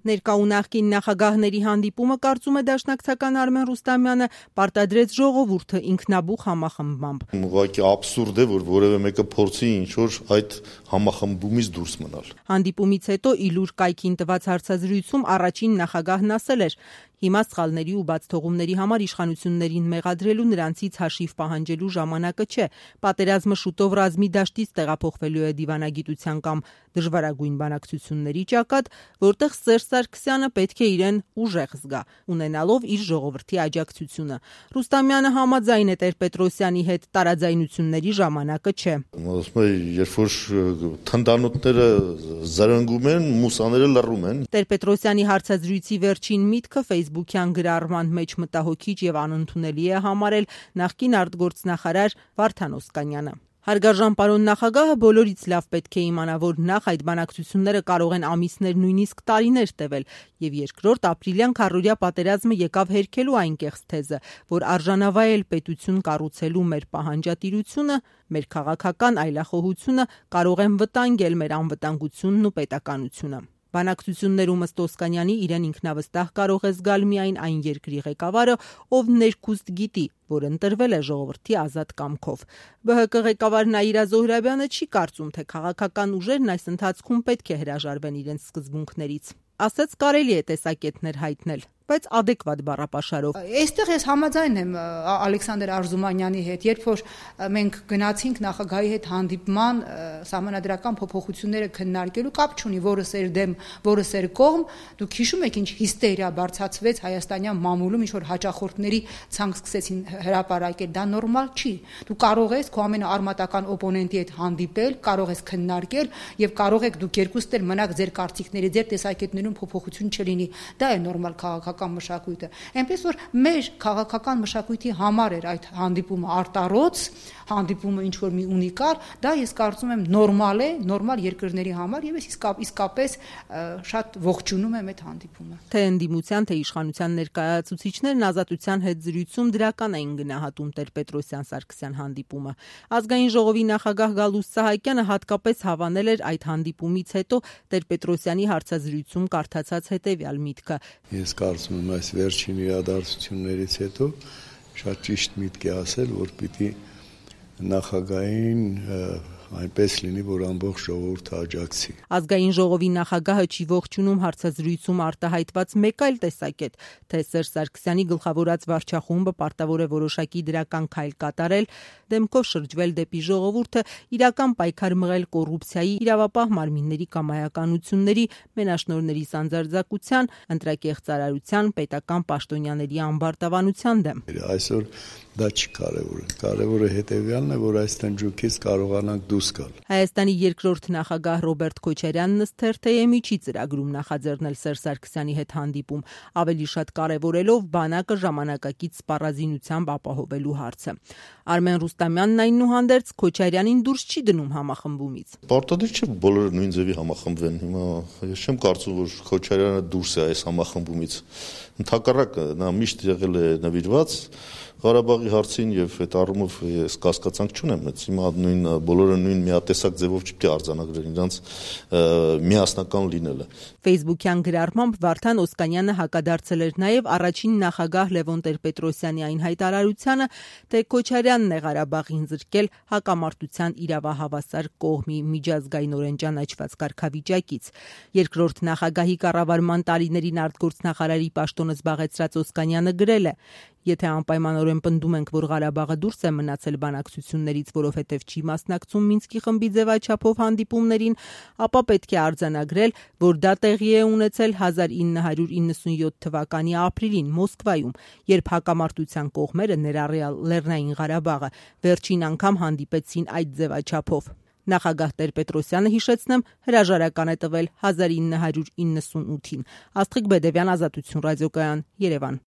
Ներկա ու նախկին նախագահների հանդիպումը, կարծում է դաշնակցական Արմեն Ռուստամյանը, պարտադրեց ժողովուրդը ինքնաբուխ համախմբմամբ։ Ուղղակի աբսուրդ է, որ որևէ մեկը փորձի ինչ-որ այդ համախմբումից դուրս մնալ։ Հանդիպումից հետո Իլուր կայքին տված հարցազրույցում առաջին նախագահն ասել էր. հիմա սխալների ու բացթողումների համար իշխանություններին մեղադրելու, նրանցից հաշիվ պահանջելու ժամանակը չէ։ Պատերազմը շուտով ռազմի դաշտից տեղափոխվելու է դիվանագիտության կամ դժվարագույն բանակցությունների ճակատ, որտեղ Սերժ Սարգսյանը պետք է իրեն ուժեղ զգա, ունենալով իր ժողովրդի աջակցությունը։ Ռուստամյանը համաձայն է Տեր-Պետրոսյանի հետ, տարաձայնությունների ժամանակը չէ։ Ասում է, երբ որ թնդանոթները զրնգում են, մուսաները լռում են։ Տեր-Պետրոսյանի հարցազրույցի վերջին միտքը ֆեյսբուքյան գրառման մեջ մտահոգիչ եւ անընդունելի է համարել նախկին արտգործնախարար Վարդան Օսկանյանը։ Հարգարժան պարոն նախագահը բոլորից լավ պետք է իմանա, որ նախ այդ բանակցությունները կարող են ամիսներ, նույնիսկ տարիներ տևել, եւ երկրորդ ապրիլյան քառօրյա պատերազմը եկավ հերքելու այն կեղծ թեզը, որ արժանավայել պետություն կառուցելու մեր պահանջատիրությունը, մեր քաղաքական այլախոհությունը կարող են վտանգել մեր անվտանգությունն ու պետականությունը։ Բանակցություններում ըստ Օսկանյանի իրեն ինքնավստահ կարող է զգալ միայն այն երկրի ղեկավարը, ով ներքուստ գիտի, որ ընտրվել է ժողովրդի ազատ կամքով։ ԲՀԿ ղեկավար Նաիրա Զոհրաբյանը չի կարծում, թե քաղաքական ուժերն այս ընթացքում պետք է հրաժարվեն իրենց սկզբունքներից։ Ասաց, կարելի է տեսակետներ հայտնել, բայց adekvat բառապաշարով։ Այստեղ ես համաձայն եմ Ալեքսանդր Արզումանյանի հետ, երբ որ մենք գնացինք նախագահի հետ հանդիպման սահմանադրական փոփոխությունները քննարկելու, կապ չունի որը սեր դեմ, որը սեր կողմ, դուք հիշում եք ինչ հիստերիա բարձրացվեց հայաստանյան մամուլում, ինչ որ հաճախորդների ցանկ սկսեցին հրապարակել, դա նորմալ չի։ Դու կարող ես քո ամենաարմատական օպոնենտի հետ հանդիպել, կարող ես քննարկել եւ կարող եք դուք երկուստ էլ մնաք ձեր կարծիքների, ձեր տեսակետներում փոփոխություն չլինի։ Դա է նորմալ քաղաքական մշակույթը։ Այնպես որ մեր քաղաքական մշակույթի համար էր այդ հանդիպումը արտառոց, հանդիպումը ինչ որ մի ունիկալ, դա ես կարծում եմ նորմալ է, նորմալ երկրների համար եւ ես իսկապես շատ ողջունում եմ այդ հանդիպումը։ Թե ընդդիմության, թե իշխանության ներկայացուցիչներն Ազատության հետ զրույցում դրական էին գնահատում Տեր-Պետրոսյան-Սարգսյան հանդիպումը։ Ազգային ժողովի նախագահ Գալուստ Սահակյանը հատկապես հավանել էր այդ հանդիպումից հետո Տեր-Պետրոսյանի հարցազրույցում կարդացած հետեւյալ միտքը. Ես կարծում եմ այս վերջին իրադարձություններից հետո շատ ճիշտ միտք է ասել, որ պիտի նախագահին այնպես լինի, որ ամբողջ ժողովուրդը աջակցի։ Ազգային ժողովի նախագահը չի ողջունում հարցազրույցում արտահայտված մեկ այլ տեսակետ, թե Սերժ Սարգսյանի գլխավորած վարչախումբը պարտավոր է որոշակի դրական քայլ կատարել, դեմքով շրջվել դեպի ժողովուրդը, իրական պայքար մղել կոռուպցիայի, իրավապահ մարմինների կամայականությունների, մենաշնորհների սանձարձակության, ընտրակեղծարարության, պետական պաշտոնյաների ամբարտավանության դեմ։ Այսօր դա չի կարևորը։ Կարևորը հետևյալն է, որ այս տնջուկից կարողանանք դուրս գալ։ Հայաստանի երկրորդ նախագահ Ռոբերտ Քոչարյանն ըստ TRT-ի չի ծրագրում նախաձեռնել Սերժ Սարգսյանի հետ հանդիպում, ավելի շատ կարևորելով բանակը ժամանակակից սպառազինությամբ ապահովելու հարցը։ Արմեն Ռուստամյանն այնուհանդերձ Քոչարյանին դուրս չի դնում համախմբումից։ Պարտադիր չէ բոլորը նույն ձևի համախմբվեն։ Հիմա ես չեմ կարծում, որ Քոչարյանը դուրս է այս համախմբումից։ Ընդհակառակը նա միշտ եղել է նվիրված Ղարաբաղի հարցին եւ այդ առումով ես կասկածանք չունեմ, բայց հիմա բոլորը նույն միատեսակ ձևով չպետք է արձանագրեն իրենց միասնական լինելը։ Facebook-յան գրառմամբ Վարդան Օսկանյանը հակադարձել էր նաեւ առաջին նախագահ Լևոն Տեր-Պետրոսյանի այն հայտարարությանը, թե Քոչարյանն է Ղարաբաղին զրկել հակամարտության իրավահավասար կողմի միջազգայինորեն ճանաչված կարգավիճակից։ Երկրորդ նախագահի կառավարման տարիներին արտգործնախարարի պաշտոնը զբաղեցրած Օսկանյանը գրել է. Եթե անպայմանորեն պնդում ենք, որ Ղարաբաղը դուրս է մնացել բանակցություններից, որովհետև չի մասնակցում Մինսկի խմբի ձևաչափով հանդիպումներին, ապա պետք է արձանագրել, որ դա տեղի է ունեցել 1997 թվականի ապրիլին Մոսկվայում, երբ հակամարտության կողմերը, ներառյալ Լեռնային Ղարաբաղը, վերջին անգամ հանդիպեցին այդ ձևաչափով։ Նախագահ Տեր-Պետրոսյանը, հիշեցնեմ, հրաժարական է տվել 1998-ին։ Աստղիկ Բեդևյան, Ազատություն ռադիոկայան, Երևան։